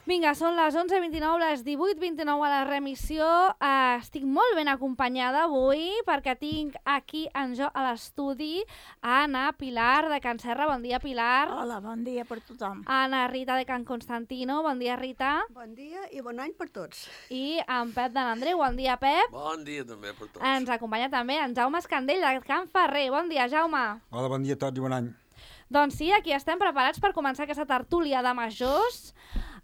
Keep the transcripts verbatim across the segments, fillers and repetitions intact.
Vinga, són les onze vint-i-nou, les divuit vint-i-nou a la remissió. Uh, estic molt ben acompanyada avui perquè tinc aquí en jo a l'estudi a Anna Pilar de Can Serra. Bon dia, Pilar. Hola, bon dia per tothom. Anna Rita de Can Constantino. Bon dia, Rita. Bon dia i bon any per tots. I en Pep de l'Andreu. Bon dia, Pep. Bon dia també per tots. Ens acompanya també en Jaume Escandell de Can Ferrer. Bon dia, Jaume. Hola, bon dia a tots i bon any. Doncs sí, aquí estem preparats per començar aquesta tertúlia de majors.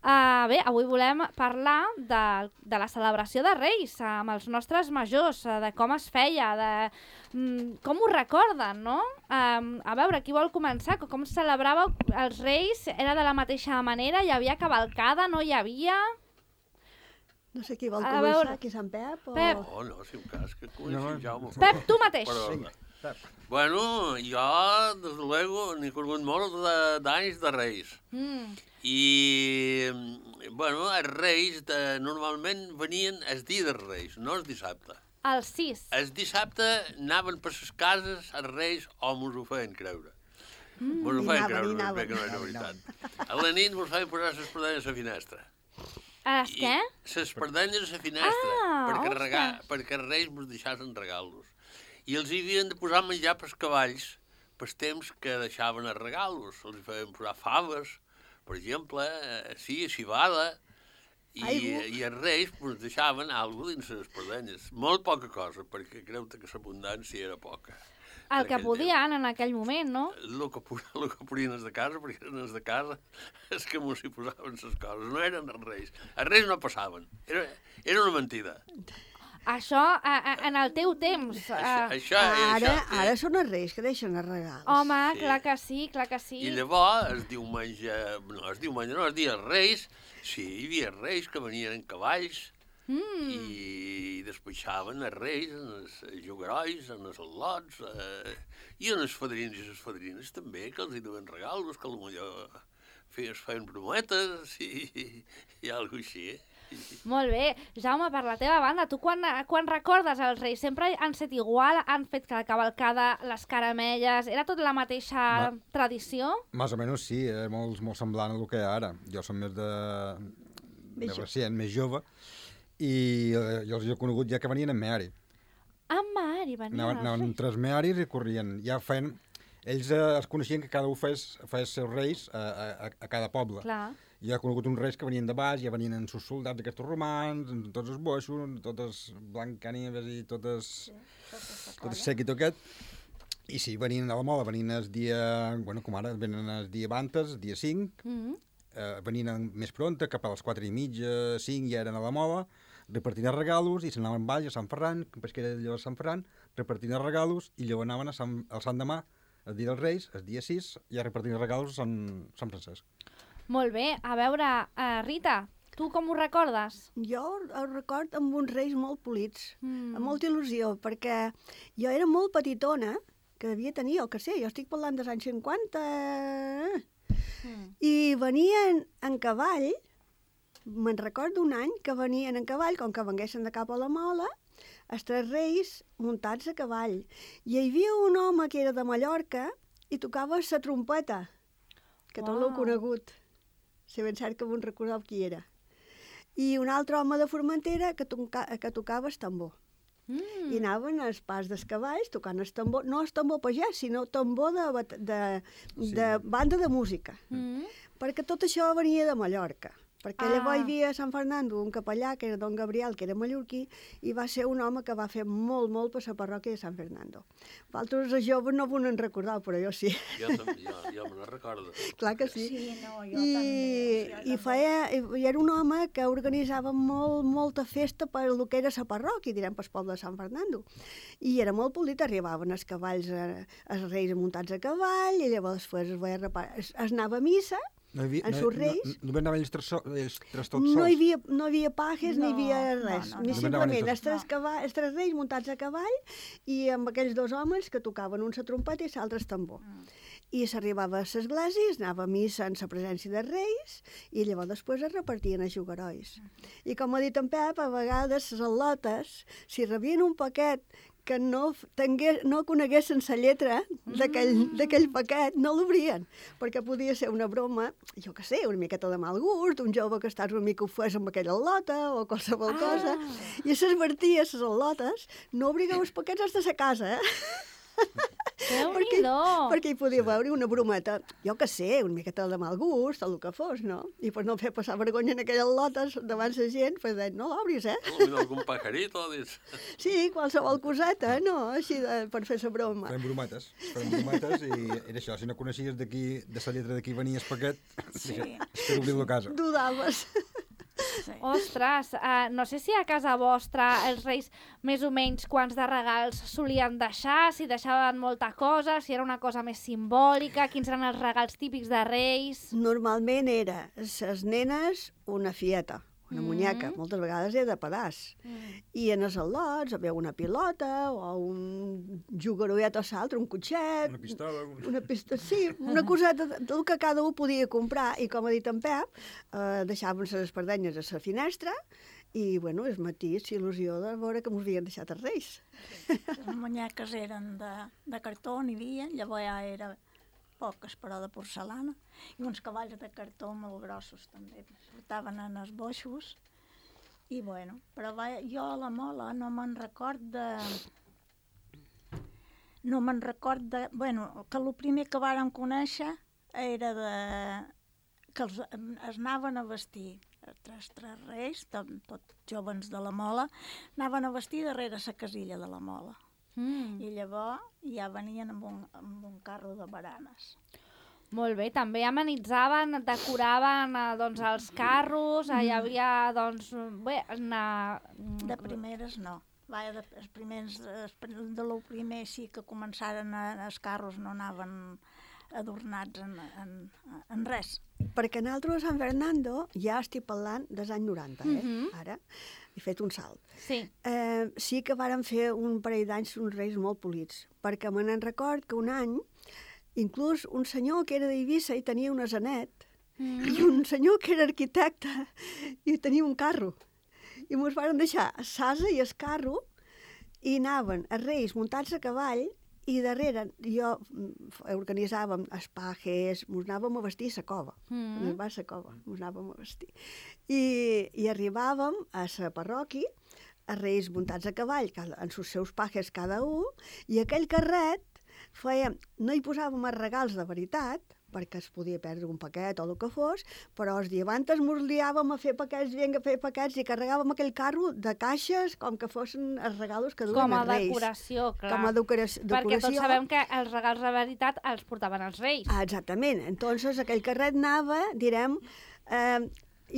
Uh, bé, avui volem parlar de, de la celebració de Reis amb els nostres majors, uh, de com es feia, de um, com ho recorden, no? Um, a veure, qui vol començar? Com es celebràveu els Reis? Era de la mateixa manera? Hi havia cavalcada? No hi havia? No sé qui vol A començar, veure. aquí Sant Pep o... Pep. Oh, no, si un cas que coneixi No. Jaume. Pep, tu mateix. Però, bueno, jo, des de luego, n'he conegut molt de- d'anys de Reis. Mm. I, bueno, els Reis de, normalment venien el dia dels Reis, no el dissabte. El sis. El dissabte anaven per les cases els Reis o mos ho feien creure. Mm. Mos ho I feien anaven, creure, i anaven. bé que no era veritat. A la nit mos feien posar les espardenyes a la finestra. Els què? Les espardenyes a la finestra, Ah, perquè, regar, ostres. perquè els Reis mos deixaven regalos. I els hi havien de posar menjar pels cavalls pels temps que deixaven els regalos. Els hi feien posar faves, per exemple, eh, sí, civada, i, Aigua. i els Reis pues, deixaven alguna cosa dins les espardenyes. Molt poca cosa, perquè creu que l'abundància era poca. El que aquell podien en aquell moment, no? El que, pu- el que podien els de casa, perquè eren els de casa, és que mos hi posaven les coses, no eren els Reis. Els Reis no passaven, era, era una mentida. Això a, a, en el teu temps. Això, Uh, això, Ara, això, ara són els reis que deixen els regals. home, sí. clar que sí, clar que sí. I llavors, el diumenge, no, el diumenge no, el dia dels Reis, sí, hi havia reis que venien en cavalls Mm. i despatxaven els reis en els jugarois, en els al·lots, eh, i en els fadrins i les fadrines també, que els hi duien regalos, que potser feien, feien brometes i, i, i alguna així, eh? Molt bé. Jaume, per la teva banda, tu quan, quan recordes els Reis? Sempre han set igual? Han fet la cavalcada, les caramelles? Era tot la mateixa Ma- tradició? Més o menys sí, és molt, molt semblant al que hi ha ara. Jo som més de, Més de jo- recient, més jove, i eh, jo els he conegut ja que venien en meari. Ah, Mari, venia Anaven, els anaven Reis. tres mearis i corrien. Ja feien... Ells eh, es coneixien que cada un fes, fes seus reis a, a, a cada poble. Clar. Jo he conegut uns reis que venien de baix, ja venien amb sus soldats aquests romans, amb tots els boixos, amb totes blancanieves i totes... Sí, tot el séquito aquest. I sí, venien a la moda, venien el dia... Bueno, com ara, venen el dia abantes, el dia cinc, Mm -hmm. eh, venien més pronta, cap a les quatre i mitja, cinc, ja eren a la moda, repartint els regalos, i s'anaven baix a Sant Ferran, que era allò a Sant Ferran, repartint els regalos, i llavors anaven a Sant, al Sant Demà, el dia dels Reis, el dia sis, ja repartint els regalos a Sant, Sant Francesc. Molt bé. A veure, uh, Rita, tu com ho recordes? Jo el record amb uns reis molt polits, Mm. amb molta il·lusió, perquè jo era molt petitona, que devia tenir, jo que sé, jo estic parlant dels anys cinquanta, Mm. i venien en cavall, me'n recordo un any que venien en cavall, com que venguessin de cap a la Mola, els tres reis muntats a cavall. I hi havia un home que era de Mallorca i tocava la trompeta, que tot l'heu Uau. conegut. Si ben cert que me'n recordeu qui era. I un altre home de Formentera que, toca, que tocava el tambor. Mm. I anaven als pas dels cavalls tocant el tambor, no el tambor pagès, sinó tambor de, bat- de, Sí. de banda de música. Mm. Perquè tot això venia de Mallorca. Perquè Ah. llavors hi havia a Sant Fernando un capellà, que era don Gabriel, que era mallorquí, i va ser un home que va fer molt, molt per la parròquia de Sant Fernando. Vosaltres, els joves, no vos en recordeu, però jo sí. Jo, tam- jo, jo me no recordo. Clar que sí. Sí, no, jo I, també. i, feia, i era un home que organitzava molt, molta festa per el que era la parròquia, direm, pel poble de Sant Fernando. I era molt polit, arribaven els cavalls, eh, els reis muntats a cavall, i llavors després es, veia repar... es, es anava a missa. No hi havia, En no, sus no, reis? no, no anaven ells tres, so, ells tres tots No sols. hi havia, no hi havia pajes, no, No, hi havia no, res. no, Ni no. No simplement anaven els tres, no. cava- els tres reis muntats a cavall i amb aquells dos homes que tocaven un la trompeta i l'altre el tambor. Mm. I s'arribava a l'església, es anava a missa en la presència de reis i llavors després es repartien els jugarois. I com ha dit en Pep, a vegades les al·lotes, si rebien un paquet que no, tingués, no coneguessin la lletra d'aquell paquet, no l'obrien, perquè podia ser una broma, jo què sé, una miqueta de mal gust, un jove que estàs una mica ofès amb aquella al·lota o qualsevol ah. cosa, i s'advertia a les al·lotes, no obrigueu els paquets fins a la casa, eh? perquè, perquè hi podia veure una brometa, jo que sé, una miqueta de mal gust, el que fos, no? I per no fer passar vergonya en aquelles lotes davant la gent, pues deien, no l'obris, eh? O algun pajarito, dius. Sí, qualsevol coseta, no? Així de, per fer la broma. Fem brometes, fem brometes i era això, si no coneixies d'aquí, de la lletra d'aquí venia el paquet, sí. espero obrir-lo a casa. Dudaves. Sí. Ostres, uh, no sé si a casa vostra els reis més o menys quants de regals solien deixar, si deixaven molta cosa, si era una cosa més simbòlica, quins eren els regals típics de reis... Normalment era les nenes una fieta, una Mm. muñeca, moltes vegades era de pedaç. Mm. I en els al·lots havia una pilota o un jugaroet o l'altre, un cotxet... Una pistola... Un... Una pista, sí, una coseta del que cada un podia comprar i, com ha dit en Pep, eh, deixaven les espardenyes a la finestra i, bueno, el matí, il·lusió de veure que mos havien deixat els reis. Les muñeques eren de, de cartó, n'hi havia, llavors ja era poques, però de porcelana, i uns cavalls de cartó molt grossos també, portaven en els boixos, i bueno, però va, jo a la mola no me'n record de... No me'n record de... Bueno, que el primer que vàrem conèixer era de... que els, es anaven a vestir, tres, tres reis, tot, tot jovens de la mola, anaven a vestir darrere la casilla de la mola. Mm. I llavors ja venien amb un, amb un carro de baranes. Molt bé, també amenitzaven, decoraven eh, doncs, els carros, eh, hi havia, doncs, bé, una... De primeres no. Vaja, de, els primers, els, de lo primer sí que començaren a, els carros no anaven adornats en, en, en res. Perquè nosaltres a San Fernando ja estic parlant dels anys noranta, eh? Mhm. Ara he fet un salt. Sí. Eh, sí que vàrem fer un parell d'anys uns reis molt polits, perquè me n'en record que un any, inclús un senyor que era d'Eivissa i tenia un asenet, Mm. i un senyor que era arquitecte i tenia un carro. I mos varen deixar l'asa i el carro i anaven els reis muntats a cavall i darrere jo mm, organitzàvem els pajes, mos anàvem a vestir a la cova, Mm. en el bar la cova, mos anàvem a vestir. I, i arribàvem a la parròquia, els reis muntats a cavall, cada, en els seus pajes cada un, i aquell carret fèiem, no hi posàvem els regals de veritat, perquè es podia perdre un paquet o el que fos, però els diabantes mos liàvem a fer paquets, vinga a fer paquets, i carregàvem aquell carro de caixes com que fossin els regalos que duien Com a els reis. decoració, clar. Com a decoració. Perquè tots sabem que els regals de veritat els portaven els reis. Ah, exactament. Entonces aquell carret anava, direm, eh,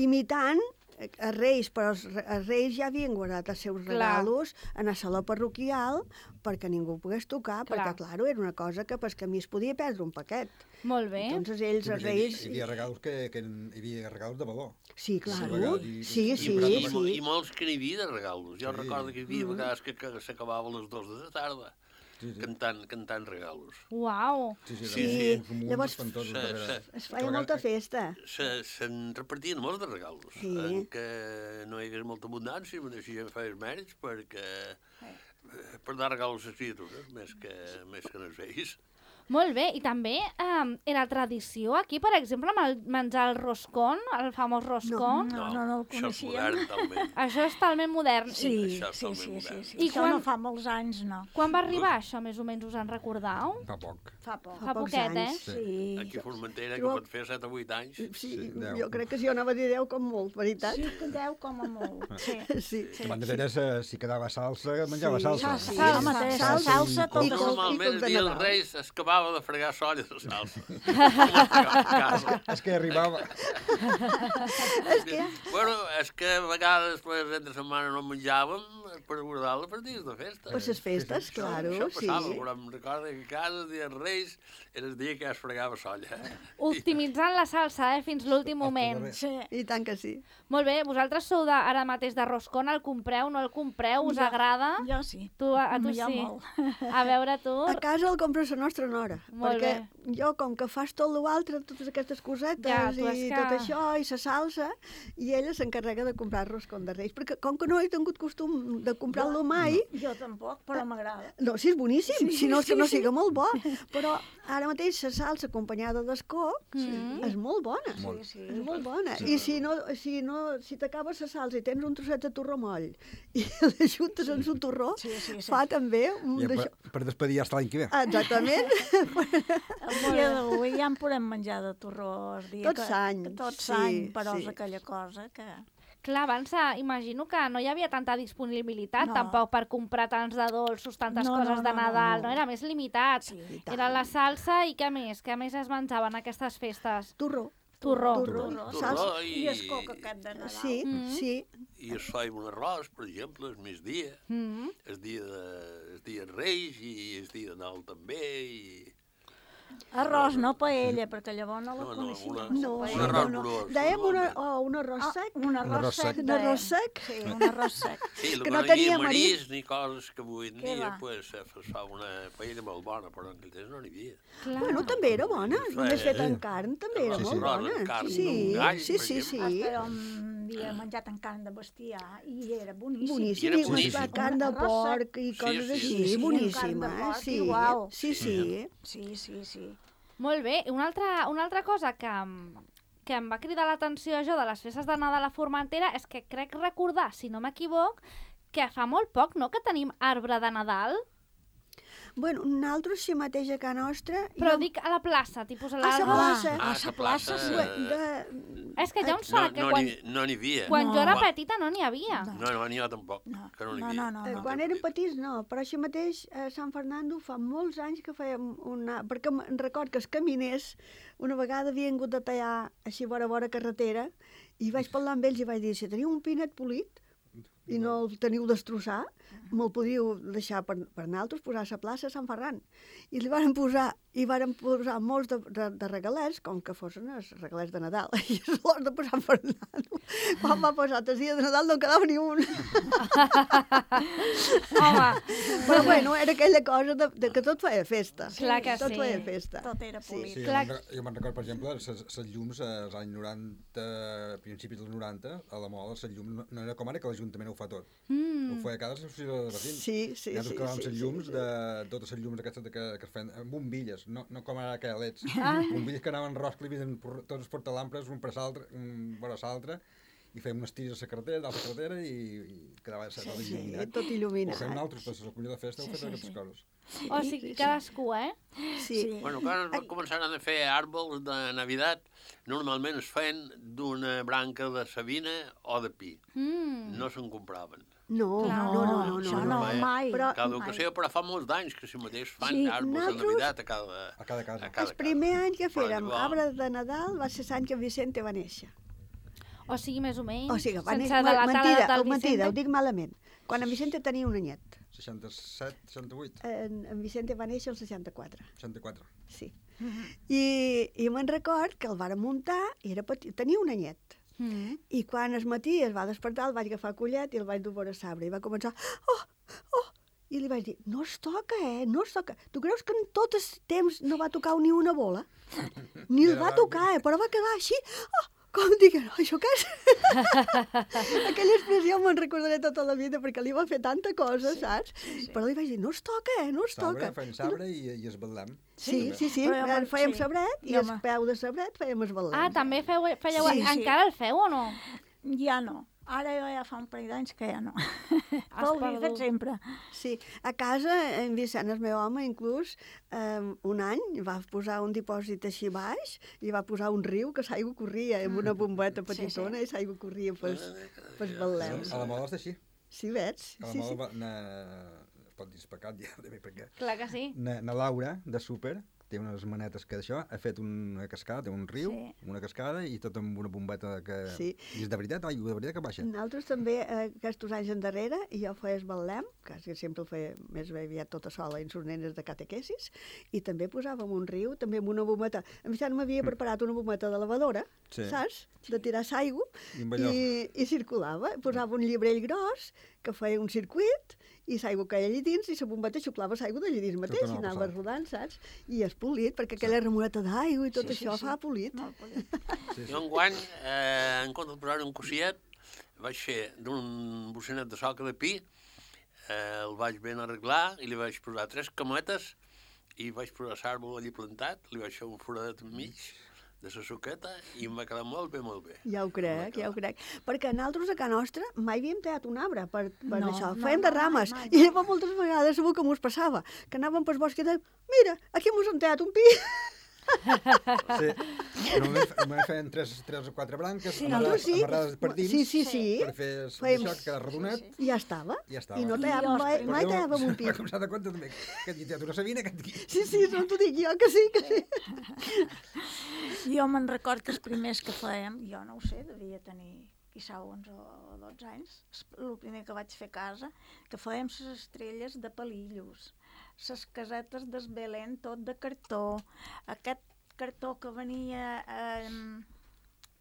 imitant els reis, però els, re- els reis ja havien guardat els seus Clar. regalos en el saló parroquial perquè ningú pogués tocar, Clar. perquè, clar, era una cosa que pel camí es podia perdre un paquet. Molt bé. Entonces ells, Sí, els perquè hi, reis... hi havia regals que, que hi havia regals de valor. Sí, clar. regals i- Sí, i- sí, i- I, sí. I molts que n'hi havia de regalos. Jo Sí. recordo que hi havia vegades que, que s'acabava a les dues de la tarda Sí, sí. cantant, cantant regalos. Uau. Sí, sí, Sí, sí. sí. Llavors, Llavors, se- se- Es feia molta festa. Se, se'n repartien molts de regalos, Sí. en què no hi hagués molta abundància, però així ja feies mèrits perquè eh, per dar regalos a les criatures, més que, més que als vells. Molt bé, i també um, era tradició aquí, per exemple, amb el menjar el roscón, el famós roscón. No, no, no el això és coneixíem. modern, talment. Això és talment modern. Sí, Això és sí, totalment sí, sí, modern. sí. I Això quan- no fa molts anys, no. Quan va arribar això, més o menys, us en recordeu? Fa poc. Fa poc. Fa pocs poquet, eh? anys, Sí. Aquí a Formentera, que Però- pot fer set o vuit anys. Sí, Sí, deu. jo crec que si jo anava a dir deu com molt, veritat? Sí, que deu com a molt. Sí. Sí. Sí. Abans de Teresa, si quedava salsa, menjava Sí. salsa. Sí, Salsa. home, té Salsa salsa, i tot coca. el... Normalment el de dia dels Nadal. Reis es acabava de fregar solla de salsa. A casa. És que arribava... És que... Bueno, és que a vegades pues, entre setmana no menjàvem per guardar-la per dies de festa. Per les festes, Això- claro, això sí. passava, però em recordo que a casa, el dia dels Reis, era el dia que es fregava solla. Optimitzant la salsa, eh, fins l'últim moment. Sí. I tant que sí. Molt bé, vosaltres sou de, ara mateix de roscón, el compreu, no el compreu, us Jo- agrada? Jo sí. Tu, a, a tu Jo sí. molt. A veure tu. A casa el compra la nostra nora, Molt perquè bé. jo, com que fas tot l'altre, totes aquestes cosetes Ja, tu és i que- tot això, i la salsa, i ella s'encarrega de comprar roscon de Reis, perquè com que no he tingut costum de comprar-lo mai, Jo tampoc, però m'agrada. no, sí, és boníssim, Sí, si no és que sí, no sí. siga molt bo, però ara mateix la salsa acompanyada d'escoc Mm. és molt bona. Molt. Sí, sí. És molt bona. Sí. I si no, si no, si t'acabes la salsa i tens un trosset de torró moll i l'ajuntes en un torró, Sí, sí, sí. fa també un Ja, per, d'això. per despedir hasta l'any que ve. Exactament. El dia d'avui ja en podem menjar de torró el dia Tot que... l'any, que Tot sí, l'any, però sí. és aquella cosa que... Clar, abans eh, imagino que no hi havia tanta disponibilitat No. tampoc per comprar tants de dolços, tantes No, no, coses de no, no, Nadal, no, no. Era més limitat. Sí, i tant. Era la salsa i què més? Què més es menjaven aquestes festes? Torró. Torró. Torró. Torró. Salsa. I el coc aquest de Nadal. Sí, Mm. sí. I es fa un arròs, per exemple, el migdia, Mm. el dia de, el dia de Reis i el dia de Nadal també, i... Arròs, no paella, perquè llavors no la No, no, coneixia. una- la No, Un paella. arròs no, no. gros, Dèiem una, normalment. oh, un arròs Ah, sec. un arròs arròs sec. sec. Un arròs dèiem. sec. Sí, un arròs sec. Sí, que que no no tenia tenia marisc. marisc ni coses que avui en Què dia va? pues, es fa una paella molt bona, però en aquell temps no n'hi havia. Clar. Bueno, també era bona. Sí. Només feta en carn, també era Sí, molt sí. bona. Arròs amb carn Sí, d'un gall, sí, per sí, sí. exemple. Ah, però havia menjat en carn de bestiar i era boníssim. Boníssim, Era i boníssim. mesclat carn de Arròs sec. porc i Sí, coses sí, així, sí, sí. boníssima, Carn de eh? porc, Sí, igual. sí, sí. Sí, sí, sí. Molt bé. Una altra, una altra cosa que, em- que em va cridar l'atenció jo de les festes de Nadal a Formentera és que crec recordar, si no m'equivoc, que fa molt poc, no?, que tenim arbre de Nadal. Bueno, nosaltres si mateix a casa nostra... Però jo- dic a la plaça, tipus a A l'arbre. la plaça. Ah, Ah, a la la plaça, plaça... sí. Bé, de... És que ja em No, sona que no quan, n'hi no n'hi havia. quan No. jo era Quan- petita no n'hi havia. No. No, no, n'hi ha tampoc, No, que no n'hi no, havia. no, no, Eh, no. quan érem petits no, però així mateix a Sant Fernando fa molts anys que fèiem una... Perquè em record que els caminers una vegada havien hagut de tallar així vora vora carretera i vaig parlar amb ells i vaig dir, si teniu un pinet polit i no el teniu destrossar, me'l podíeu deixar per, per nosaltres posar a la plaça de Sant Ferran. I li varen posar, i varen posar molts de, de, de regalets, com que fossin els regalets de Nadal. I és l'hora de posar Sant Fernando. Quan va posar el dia de Nadal no en quedava ni un. Home, Però bueno, era aquella cosa de, de que tot feia festa. Clar que tot sí. feia festa. Tot era Sí. polit. Sí, Clar. jo me'n re- jo me'n recordo, per exemple, les llums eh, als anys noranta, principis dels noranta, a la moda, les llums no, no era com ara que l'Ajuntament ho fa tot. mm, Ho feia cada associació de veïns. Sí, sí, Nosaltres sí. clavàvem sí, les sí, llums sí. de totes les llums aquestes de que, que es feien amb bombilles, no, no com ara que leds. Ah. Bombilles que anaven rosclivis en por- tots els portalampres, un per l'altre, un vora l'altre, i fèiem unes tires a la carretera, d'altra carretera, i, i quedava sí, tot Sí, il·luminat. tot Ho il·luminat. fem nosaltres, però la colló de festa ho Sí, fem sí, aquestes sí. coses. o sigui, cadascú, eh? Sí. Bueno, quan es començaran a fer àrbols de Navidad, normalment es feien d'una branca de sabina o de pi. Mm. No se'n compraven. No, Clar. no, no, no, no. Això no. no, mai. mai. Però- Cada mai. ocasió, però fa molts d'anys que si mateix fan Sí, àrbols de nosaltres- Navidad a cada, A cada casa. a cada El primer any que Però fèrem igual. arbre de Nadal va ser l'any que Vicente va néixer. O sigui, més o menys, O sigui, va sense néixer... delatar Mentida, la data del mentida, Vicente. ho dic malament. Quan en Vicente tenia un anyet. seixanta-set, seixanta-vuit, En, en Vicente va néixer el seixanta-quatre. seixanta-quatre. Sí. I, i me'n record que el varen muntar i era petit, tenia un anyet. Mm. I quan es matí es va despertar, el vaig agafar a collet i el vaig dur vora sabre. I va començar, oh, oh, i li vaig dir, no es toca, eh, no es toca. Tu creus que en tot el temps no va tocar ni una bola? Ni el va tocar, eh, però va quedar així, oh, com diguent, això què és? Aquella expressió me'n recordaré tota la vida perquè li va fer tanta cosa, saps? Però li vaig dir, no es toca, eh, no es Sabre, toca. feien sabre i, i es batlem. Sí, sí, sí, Però jo me'n- fèiem sí. sabret i Jo el me- peu de sabret fèiem el ballet. Ah, també feu, fèieu... Sí, sí. Encara el feu o no? Ja no. Ara jo ja fa un parell d'anys que ja no. Has Però ho he fet perdut. sempre. Sí, a casa, en Vicent, el meu home, inclús, eh, un any va posar un dipòsit així baix i va posar un riu que l'aigua corria amb una bombeta petitona i l'aigua corria pels, pels balleus. A la moda és així. Sí, veig? A la Sí, moda sí. va, na, es pot dir especat ja, perquè Clar que sí. na, na Laura, de súper, té unes manetes que d'això, ha fet una cascada, té un riu, Sí. una cascada i tot amb una bombeta que... Sí. I és de veritat, aigua de veritat que baixa. Nosaltres també, eh, aquests anys endarrere, i jo feia el balem, que sempre el feia més bé aviat tota sola en sus nenes de catequesis, i també posàvem un riu, també amb una bombeta. En Vicent m'havia preparat una bombeta de lavadora, Sí. saps? De tirar aigua, I amb allò. i, i circulava. Posava un llibrell gros que feia un circuit i l'aigua caia allà dins i la bombeta xuplava l'aigua d'allà dins mateix anava i anava passant. rodant, saps? I es més polit, perquè aquella remoleta d'aigua i tot Sí, sí, això sí. fa polit. Molt polit. Sí, sí. Jo enguany, eh, en compte de posar un cossiet, vaig fer d'un bocinet de soca de pi, eh, el vaig ben arreglar i li vaig posar tres cametes i vaig posar l'àrbol allí plantat, li vaig fer un foradet enmig de la suqueta i em va quedar molt bé, molt bé. Ja ho crec, ja ho crec. Perquè nosaltres a casa nostra mai havíem tallat un arbre per, per No, això. no, Fèiem no, de rames. mai, mai. I llavors moltes vegades segur que m'ho passava. Que anàvem pel bosc i dèiem, mira, aquí mos han tallat un pi. Sí. Normalment, normalment feien tres, tres o quatre branques Sí, amarrades, nosaltres sí. amarrades per dins Sí, sí, sí. per fer el Fèiem- això, que quedava rodonet. I ja estava. Ja estava. I no I tallàvem els mai, primers- mai tallàvem un pi. Com s'ha de compte també, que et dic, tu no sabia aquest aquí. Sí, sí, no t'ho dic jo, que sí, que sí. Jo me'n record que els primers que fèiem, jo no ho sé, devia tenir quizà onze o dotze anys, el primer que vaig fer a casa, que fèiem les estrelles de palillos, les casetes d'esbelent, tot de cartó, aquest cartó que venia, eh,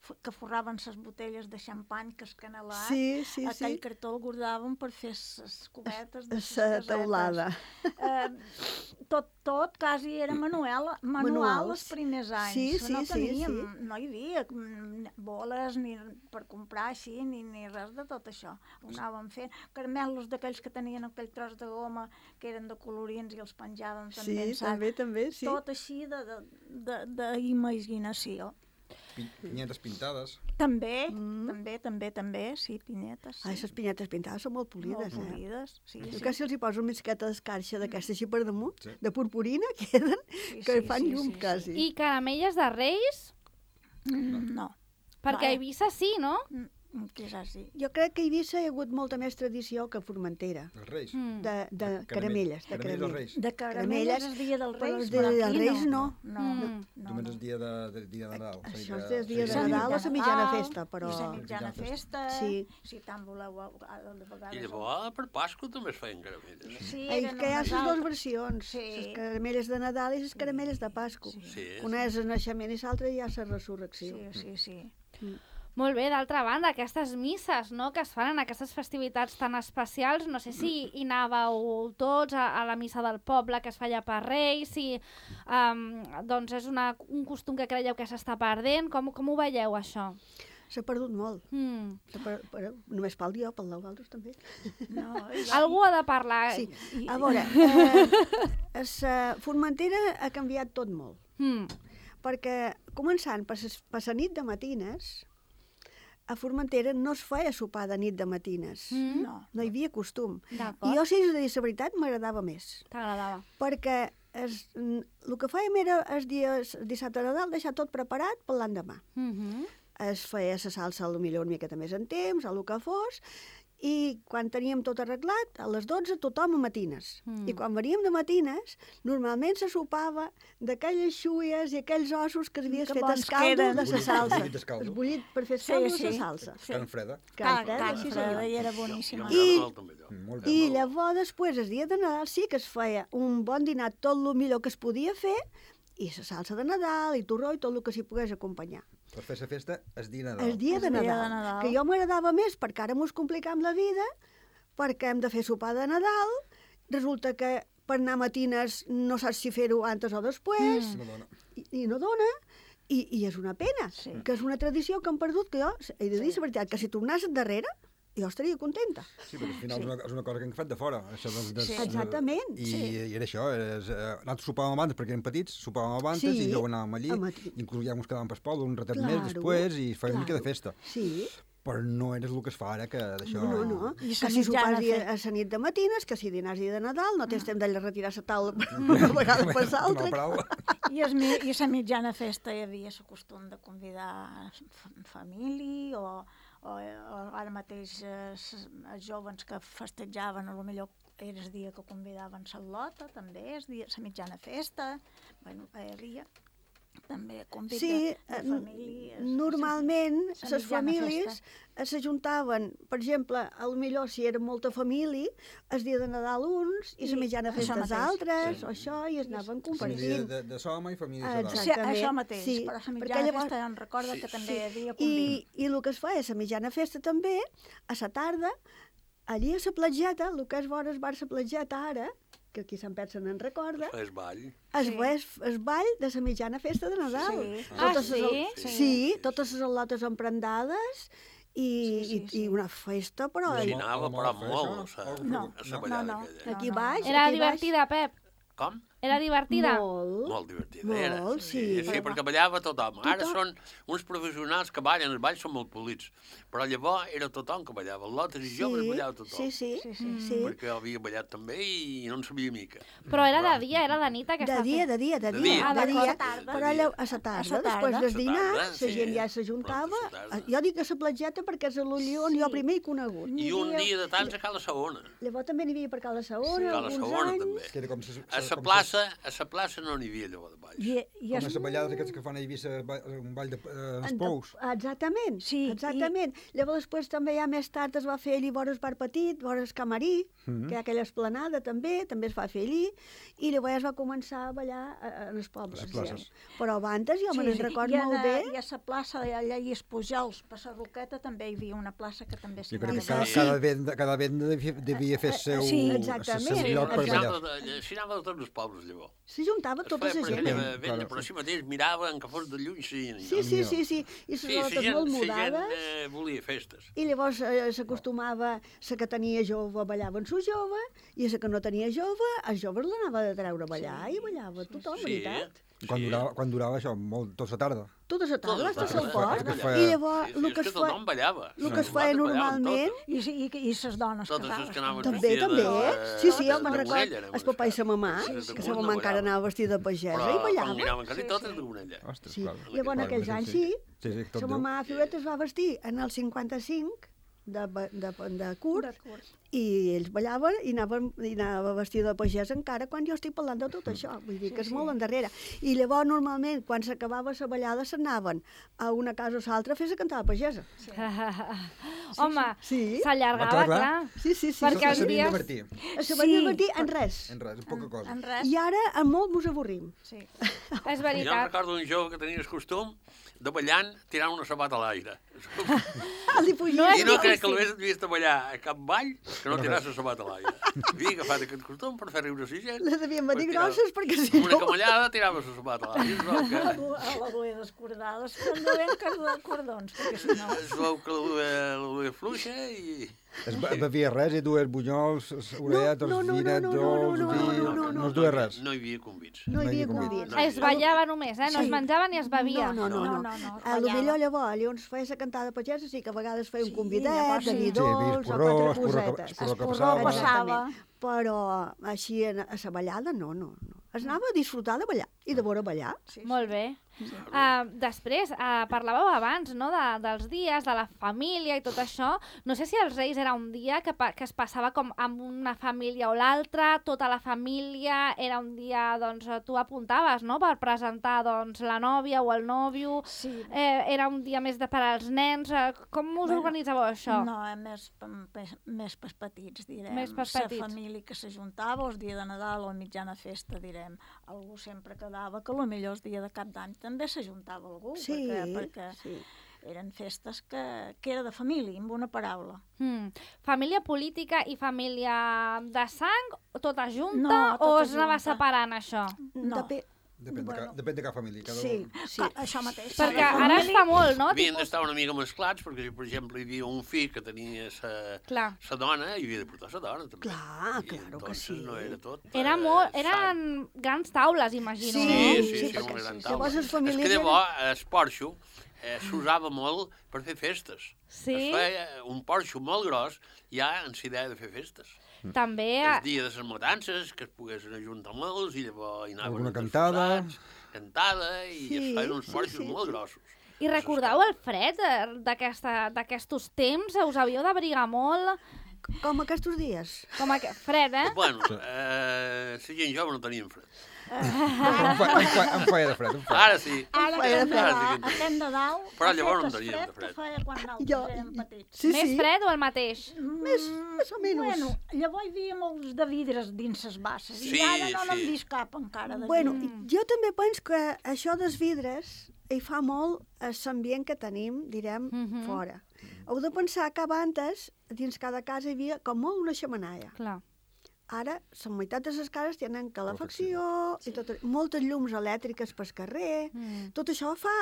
f- que forraven les botelles de xampany, que escanelat, Sí, sí, aquell sí. cartó el guardaven per fer les cubetes de les La casetes. teulada. Eh, tot, tot quasi era manual, manual Manuals. els primers anys. Sí, sí, no sí, teníem, sí. no hi havia mm, boles ni per comprar així, ni, ni res de tot això. Ho anàvem fent. Caramelos d'aquells que tenien aquell tros de goma que eren de colorins i els penjàvem Sí, també en sac. també, també, sí. Tot així de- de- de- d'imaginació. Pi- Pinyetes pintades. També, Mm. també, també, també, sí, pinyetes. Sí. Ai, les pinyetes pintades són molt polides, Molt eh? polides, sí, Jo sí. que si els hi poso una miqueta d'escarxa d'aquesta així per damunt, Sí. de purpurina, queden, Sí, que sí, fan sí, llum sí, sí. quasi. I caramelles de Reis, Mm, no, perquè a Vale. Eivissa sí, no? Mm, quizás sí. Jo crec que a Eivissa hi ha hagut molta més tradició que a Formentera, Els reis. Mm. de, de Caramell- caramelles. De Caramelles dels caramelles. reis. De caramelles Caramelles, el dia dels però Reis, els de- però dels aquí Reis no. no. No, Mm. no, Només no. el dia de, de, dia de Nadal. Això és el dia de Sí, Nadal, la sí. mitjana Nadal, festa, però... I la mitjana festa, Sí. si tant voleu, a a- de vegades... I llavors, per Pasqua també es feien caramelles. Sí, Ai, eren que hi ha unes les dues altres. versions, Sí. les caramelles de Nadal i les caramelles de Pasqua. Sí. Una és el naixement i l'altra ja és la resurrecció. Sí, sí, sí. Molt bé, d'altra banda, aquestes misses, no?, que es fan en aquestes festivitats tan especials, no sé si hi anàveu tots a, a la missa del poble que es feia per Reis, si um, doncs és una, un costum que creieu que s'està perdent, com, com ho veieu, això? S'ha perdut molt. Mm. S'ha per, per, només pel dia, pel d'altres també. No, i, Algú ha de parlar. Sí. i, A veure, eh, es, uh, Formentera ha canviat tot molt, Mm. perquè començant per, ses, per la nit de matines, a Formentera no es feia sopar de nit de matines. Mm. no. No hi havia costum. D'acord. I jo, si us he de dir la veritat, m'agradava més. T'agradava. Perquè es, mm, el que fèiem era el dia el dissabte de Nadal deixar tot preparat per l'endemà. Mm -hmm. Es feia la salsa potser una miqueta més en temps, el que fos, i quan teníem tot arreglat, a les dotze tothom a matines. Mm. I quan veníem de matines, normalment se sopava d'aquelles xuies i aquells ossos que havies Que fet bons el que caldo eren. de la Bullit, salsa. bullit d'escaldo. Es bullit per fer Sí, caldo sí. de la salsa. Sí. Carn freda. Can, freda, can sí, freda, senyor. i era Jo boníssima. I- m'agrada molt també allò. Molt bé. I llavors, després, el dia de Nadal, sí que es feia un bon dinar, tot el millor que es podia fer, i la salsa de Nadal, i torró, i tot el que s'hi pogués acompanyar. Per fer la festa, es dia Nadal. El dia, El de, dia de Nadal, Nadal. que jo m'agradava més perquè ara mos complicam la vida, perquè hem de fer sopar de Nadal, resulta que per anar a matines no saps si fer-ho antes o després, No dona. i, i no dona, i, i és una pena, Sí. que és una tradició que hem perdut, que jo he de dir la veritat, que si tornés endarrere, jo estaria contenta. Sí, perquè al final és, una, és una cosa que hem fet de fora. Això dels, dels, Sí. Exactament, I, sí. i era això, és, eh, nosaltres sopàvem abans perquè érem petits, sopàvem abans Sí, i llavors anàvem allí, a matí. inclús ja ens quedàvem per poble un ratet Claro, més després i feia una mica de claro. festa. Sí, Però no era el que es fa ara, que d'això... no, no, no. I Que sa si mitjana sopars dia, fe- a la nit de matines, que si dinars dia de Nadal, no tens temps de retirar la taula per una vegada per Una l'altra. paraula. I, es, mi- I a la mitjana festa hi havia el costum de convidar fa- família o, o, o ara mateix eh, s- els jovens que festejaven, a lo millor era el dia que convidaven la lota, també, el dia, la mitjana festa, bueno, hi havia també convit Sí, de, eh, de famílies. normalment la les mitjana famílies festa. eh, s'ajuntaven, per exemple, a lo millor si era molta família, el dia de Nadal uns i la I mitjana això festa els mateix. altres, Sí. o això, i es anaven Família compartint. de, de Soma i família Ah, de Sadal. Sí, Exactament, això mateix, sí, però la perquè mitjana llavors- festa em recorda que també hi havia I, convit. I el que es fa és a mitjana festa també, a la tarda, allí a la platgeta, el que és vora el bar la platgeta ara, que aquí Sant Pet se n'en recorda, Fes ball. es, Sí. sí. es ball de la mitjana festa de Nadal. Sí. Ah, Totes les- sí? sí? Sí, totes les al·lotes emprendades i, Sí, sí, i, sí. i una festa, però... I Sí, la mo- anava, la però mola molt, fer a això? sa- No, a sa no, ballada no. aquella. Aquí No, no. baix, Era aquí baix, divertida, Pep? Com? Era divertida? Molt. Molt divertida era. Molt, sí. Sí, perquè ballava tothom. Ara Tothom. són uns professionals que ballen, els balls són molt polits. Però llavors era tothom que ballava. Lotes i joves ballava tothom. Sí, sí, Sí, sí, sí. sí. Perquè jo havia ballat també i no en sabia mica. Però era de dia, era de nit De aquesta dia, festa. de dia, de De dia, dia. Ah, de d'acord. dia, A tarda. però allò, a la tarda, A sa després tarda. del A sa dinar, tarda, la sí. gent ja s'ajuntava. Pronto a sa tarda. Jo dic a la platgeta perquè és l'ull on jo primer he conegut. I un dia de tants a Cala Saona. Llavors també n'hi havia per Cala Saona, A Cala alguns Saona anys. també. Que era com se, A la com plaça, a la plaça no n'hi havia llavors de balls. I, i Com es, les ballades aquestes que fan a Eivissa, ba- un ball de, eh, els En- pous. Exactament, Sí, exactament. Llavors després també ja més tard es va fer allí vora el bar petit, vora el Camarí, Mhm. que hi ha aquella esplanada també, també es va fer allí, i llavors es va començar a ballar a- en els pobles. Les places. Però abans jo me n'en record i a, molt bé. I a la plaça allà i els Pujols, per la Roqueta, també hi havia una plaça que també s'hi Jo crec que anava cada, a Sí. cada venda, cada venda devia, devia fer seu, Sí, el exactament. seu lloc per S'hi ballar. anava, de- s'hi anava de tots els pobles llavors. S'ajuntava Es tota feia la per gent. aquella Claro, venda, claro. però així mateix miraven que fos de lluny sí, Sí, sí, sí, sí. I les Sí, la rotes gent, molt la gent mudades. eh, volia festes. I llavors eh, s'acostumava, la que tenia jove ballava amb su jove, i la que no tenia jove, els joves l'anava de treure a ballar, i ballava tothom, Sí, veritat? Quan, sí. durava, quan durava això, molt, tota la tarda. Tota la tarda, Tota la fins tarda, al port. perquè I feia- llavors, Sí, sí, el és que que es fa... tothom ballava. el que es Sí, feia ballaven normalment... totes. I, i, i les dones Totes les casaves. que anaven També, vestides també. de- Sí, sí, de- jo me'n de record Gonella, anaven el papà i la mamà, Sí, de que la Gonella mamà encara ballaven. anava vestida de pagesa Però i quan ballava. miraven quasi totes de Gonella. Ostres, Sí. clar. Llavors, en aquells anys, sí, Sí, sí, tot la Déu. mamà Fioret es va vestir en el cinquanta-cinc de, ba- de, de curt, De curt. i ells ballaven i anaven, i anava vestida de pagès encara quan jo estic parlant de tot això, vull dir Sí, que és sí. molt endarrere. I llavors normalment quan s'acabava la ballada s'anaven a una casa o l'altra a fer la cantada pagesa. Home, Sí. s'allargava, Clar, clar. clar. Sí, sí, sí. Perquè Se els sabien dies- divertir. Se van Sí. divertir en res. En res, en poca cosa. En res. I ara en molt mos avorrim. Sí. És Jo em veritat. recordo un jove que tenia el costum de ballant tirant una sabata a l'aire. Li fugia. No és I no crec que difícil. l'hagués vist de ballar a cap ball que no tiràs la sabata a l'aire. Havia agafat aquest costum per fer riure la gent. Les devien venir Perquè grosses perquè si Amb una no... camallada tirava la sabata a l'aire. Es veu que, A la duia descordades, que no ven que cordons, perquè si no... es veu que la duia, la duia fluixa i... Es be- bevia res, i dues bunyols, orelletes, no, no, no, vinet, no, no, dolç, no, vi... no, no, No es duia res. No hi havia convits. No hi havia No hi havia convits. convits. Es ballava només, eh? No es Sí. menjava ni es bevia. No, no, no. No, no, no, no, A lo ballava. millor llavors, llavors feia la cantada pagesa, sí que a vegades feia un Sí, convidet, llavors de sí. vi Sí, dolç, vi o esporró, quatre esporró que- cosetes. esporró que Esporró passava. passava. Però així a, a la ballada, no, no, no. Es anava a disfrutar de ballar i de veure ballar. Sí, sí. Molt bé. Uh, després, uh, parlàveu abans no, de, dels dies, de la família i tot això. No sé si els Reis era un dia que, pa, que es passava com amb una família o l'altra, tota la família, era un dia, doncs, tu apuntaves, no?, per presentar, doncs, la nòvia o el nòvio, Sí. eh, era un dia més de per als nens. Eh, com us Bueno, organitzàveu això? No, eh, més, pe- més, més pels petits, direm. Més pels La petits. família que s'ajuntava, el dia de Nadal o a mitjana festa, direm. Algú sempre quedava, que potser el dia de cap d'any també s'ajuntava algú, Sí, perquè, perquè sí. eren festes que, que era de família, amb una paraula. Hmm. Família política i família de sang, tota junta, No, o tota es anava junta. separant això? No. Depe- Depèn, de, Bueno. ca, depèn de cada família. Cada Sí, un. sí. Ah, això mateix. Perquè Cada ara es família- fa molt, no? Havien Tipus- d'estar una mica mesclats, perquè si, per exemple, hi havia un fill que tenia sa, Clar. sa dona, hi havia de portar sa dona, també. Clar, I claro que entonces sí. no era tot... Era eh, molt, sant. eren grans taules, imagino. Sí, no? Sí, sí, sí, sí, perquè una gran sí. taula. Llavors les famílies És que eren- llavors el porxo eh, s'usava molt per fer festes. Sí? Es feia un porxo molt gros ja en la idea de fer festes. També... El dia de les matances, que es poguessin ajuntar molts, i llavors hi anaven Alguna els cantada. esforçats, cantada, i Sí, es feien uns sí, porxos sí, molt sí. grossos. I recordeu el fred eh, d'aquesta- d'aquestos temps? Us havíeu d'abrigar molt? Com aquests dies. Com a... Fred, eh? Bueno, eh, la gent jove no tenien fred. Em, fa, em, fa, em feia de fred, em feia. Ara sí. Ara Feia aquest fred. de Ara sí dalt, que en aquest de dalt, Però ha llavors fet no el teníem de que fred. feia quan nosaltres Jo- érem petits. Sí, Més sí. fred o el mateix? Més, més o menys. Bueno, llavors hi havia molts de vidres dins les basses, Sí, i ara no n'hem sí. vist cap encara de Bueno, vidre. jo també penso que això dels vidres hi fa molt a l'ambient que tenim, direm, Mhm. fora. Heu de pensar que abans, dins cada casa, hi havia com molt una xemenaia. Clar. ara la meitat de les cases tenen calefacció, i tot, moltes llums elèctriques pel carrer, Mm. tot això fa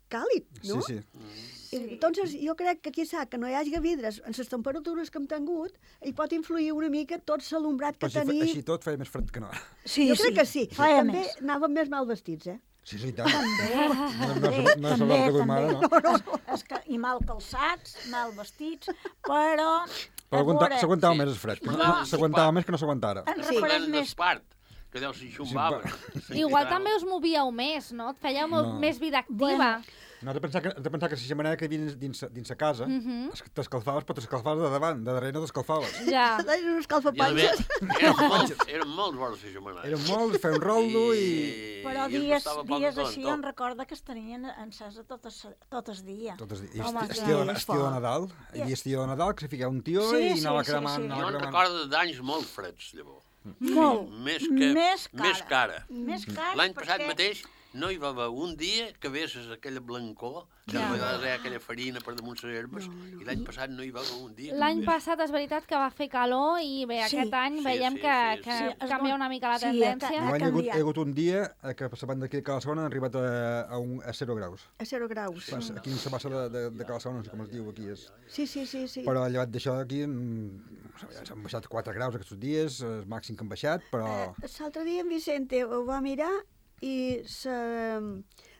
càlid, no? Sí, sí. I, entonces, jo crec que aquí sap que no hi hagi vidres en les temperatures que hem tingut, hi pot influir una mica tot l'alumbrat que Però així, tenim. així tot feia més fred que no. Sí, jo crec que sí. Feia També més. anàvem més mal vestits, eh? Sí, sí, i tant. També, No, no, també, no, no és també, el que duim ara, no? també. És que, I mal calçats, mal vestits, però... Però a veure, s'aguantava sí. més el fred. No, S'aguantava més que no s'aguanta ara. En Parlem refereix més... d'espart, que deu ser xumbava. Igual també us movíeu més, no? Et fèieu No. més vida activa. Bueno, No, has de pensar que, has de pensar que si la xemeneia que hi havia dins, dins la casa, Mhm. es- t'escalfaves, però t'escalfaves de davant, de darrere no t'escalfaves. Ja. Eren uns I a més, calfapanxes. eren molts, eren molts vores de setmana. Era molt, feia un roldo i... Però i es dies, costava poc dies tot, així tot. em recorda que es tenien encesa totes, totes dia. Tot el dia. I Home, esti- clar. estiu, de, És estiu de fort. Nadal. Hi havia estiu de Nadal, que se ficava un tió Sí, i sí, anava sí, cremant, sí. anava Jo en cremant. recordo d'anys molt freds, llavors. Molt. Més que, Més cara. Més cara. Més cara L'any passat perquè- mateix no hi va haver un dia que vesses aquella blancor, que Ja. a vegades hi ha aquella farina per damunt les herbes, i l'any passat no hi va haver un dia. que L'any vés. passat és veritat que va fer calor i bé, Sí. aquest any Sí, veiem sí, que, sí, que sí. es canvia dona- una mica la sí, tendència. ha Enguany hi ha hagut, hi canviat. ha hagut un dia eh, que a banda d'aquí de Calassona han arribat a, a, un, a zero graus. A zero graus. Passa, aquí se passa de, de, de Calassona, no sé com es diu aquí. És. Sí, sí, sí. sí. Però llevat d'això aquí mm, s'han baixat quatre graus aquests dies, el màxim que han baixat, però... Eh, L'altre dia en Vicente ho va mirar i se,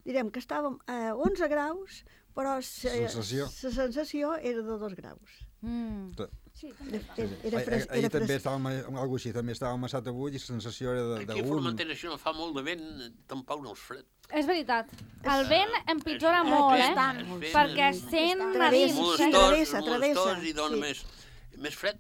direm que estàvem a onze graus, però se, Sensació. la sensació era de dos graus. Mm. Sí, Era, era, Ahir, era, fres, ahir era també fres... estàvem a- algú així, també estàvem a Sat avui i la sensació era de- Aquí a d'un... Formentera, si no fa molt de vent, tampoc no és fred. És veritat. El vent empitjora És- molt, és eh? bastant, és ben- Perquè és sent a Travessa, dins. sí, molestós, travessa, travessa, molestós i dona sí. més, més fred.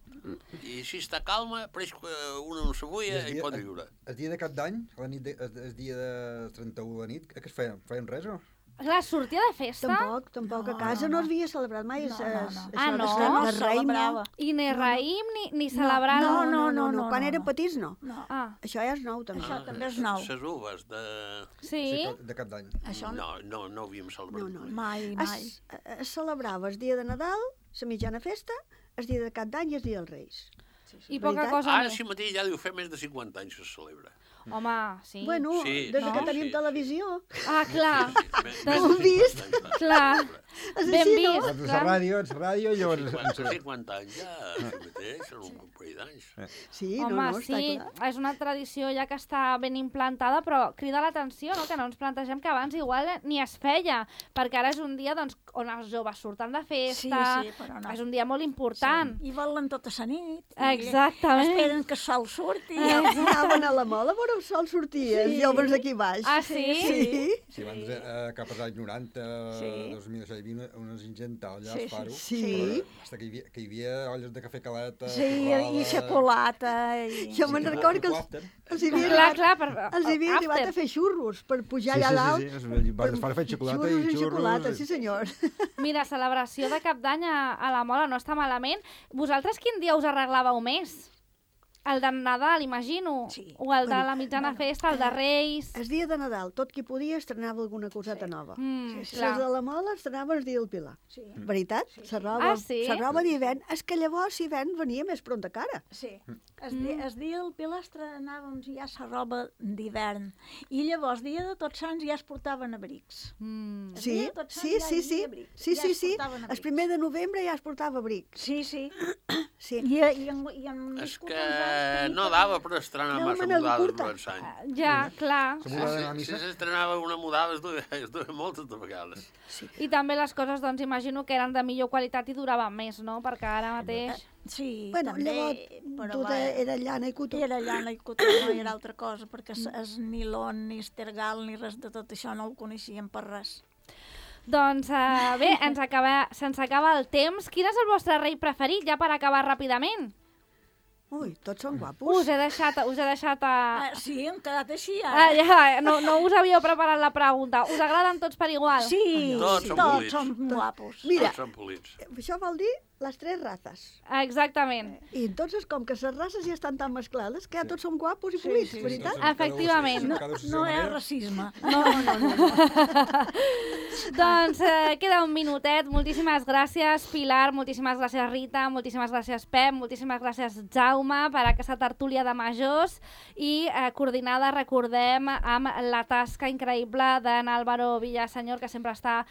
I si està calma, pareix que una no s'abuia i pot viure. El dia de cap d'any, la nit de, el, el dia de trenta-u de nit, què es feien? Feien res o? Clar, sortia de festa Tampoc, tampoc. No, a casa no, no, no. es havia celebrat mai. No, es- no, es- no. això Ah, de no? ser- No de es raïm, celebrava. i ni raïm ni, ni celebrar... no, No, no, no. no, Quan no, eren no. petits, no. No, Ah, Això ja és nou, també. Això també és nou. Les uves de... sí? que- de cap d'any. això no. No, no, no ho havíem celebrat. No, no. Mai, mai. Es, es celebrava el dia de Nadal, la mitjana festa, el dia de Cap d'Any i el dia dels Reis. I poca Veritat? cosa Ara més. sí mateix ja deu fer més de cinquanta anys que es celebra. Home, sí. Bueno, Sí, des sí, que sí, tenim sí. televisió. Ah, clar. Més, Doncs- més de vist? cinquanta anys, Clar. És Ben així, no? vist. En la clar. ràdio, en la ràdio, i llavors... cinquanta, cinquanta anys ja, sí mateix, són un parell d'anys. Sí, Home, no, no, està sí, clar. és una tradició ja que està ben implantada, però crida l'atenció, no?, que no ens plantegem que abans igual ni es feia, perquè ara és un dia doncs, on els joves surten de festa, Sí, sí, però no. és un dia molt important. I volen tota la nit. i Exactament. Esperen que el sol surti. Anaven a la mola a veure el sol sortir, els Sí. joves aquí baix. Ah, sí? Sí. Sí, abans, eh, cap als anys noranta, Sí. dos mil, això hi havia una- unes ingentals allà Sí, al faro. sí. Però Hasta que hi havia, que hi havia olles de cafè caleta, Sí, i, i xocolata. I... Jo me'n recordo que els, els hi havia, Clar, clar, per, els hi havia arribat after. a fer xurros per pujar Sí, allà sí, dalt. sí, sí, es va es va fer xocolata i xurros i xurros. xocolata, i- sí senyor. Mira, celebració de Cap d'Any a, a la Mola no està malament. Vosaltres quin dia us arreglàveu més? El de Nadal, imagino. Sí. O el de Bueno, la mitjana festa, el de Reis. El dia de Nadal, tot qui podia estrenava alguna coseta nova. Mm, Els clar. de la Mola estrenaven el dia del Pilar. Sí, Veritat? La roba, Ah, sí? la roba d'hivern. És que llavors l'hivern venia més pront a cara. sí. El, di, el dia del Pilar estrenàvem ja la roba d'hivern. I llavors, dia de Tots Sants, ja es portaven abrics. Mm. El Sí, dia de Tots Sants sí, ja sí, hi sí. havia abrics. Sí, Ja sí, es sí. portaven El abrics. primer de novembre ja es portava abric. Sí, sí. Sí. I, i, en, i en És nascut que uns anys tenia no que- dava per estrenar Anàvem massa en el mudades curta. durant l'any. Ja, clar. La mudada de la Si missa? s'estrenava una mudada es duia, es duia moltes de vegades. I també les coses, doncs, imagino que eren de millor qualitat i duraven més, no? Perquè ara mateix... Sí, Bueno, també, llavors, però tot va, era llana i cotó. era llana i cotó, no era altra cosa, perquè es, es nilon, ni estergal, ni res de tot això no el coneixíem per res. Doncs uh, bé, ens acaba, se'ns acaba el temps. Quin és el vostre rei preferit, ja per acabar ràpidament? Ui, tots són Us guapos. he deixat, us he deixat a... Ah, sí, hem quedat així, Ah, ara. ja, no, no us havíeu preparat la pregunta. Us agraden tots per igual? Sí, Tots són tots polits. són guapos. Mira, Tots són polits. això vol dir les tres razes. Exactament. I entonces, com que les races ja estan tan mesclades, que ja tots som guapos i polits, sí, sí. veritat? Efectivament. No, no és racisme. No, no, no. no. Doncs eh, queda un minutet. Moltíssimes gràcies, Pilar, moltíssimes gràcies, Rita, moltíssimes gràcies, Pep, moltíssimes gràcies, Jaume. Jaume per aquesta tertúlia de majors i eh, coordinada, recordem, amb la tasca increïble d'en Álvaro Villaseñor, que sempre està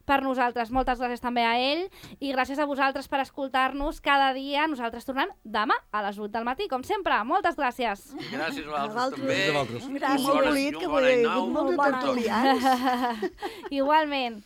per nosaltres. Moltes gràcies també a ell i gràcies a vosaltres per escoltar-nos cada dia. Nosaltres tornem demà a les vuit del matí, com sempre. Moltes gràcies. I gràcies a A vosaltres vosaltres. també. A vosaltres. I Gràcies. molt bolit, que avui hi ha hagut molts de tertulians. Igualment.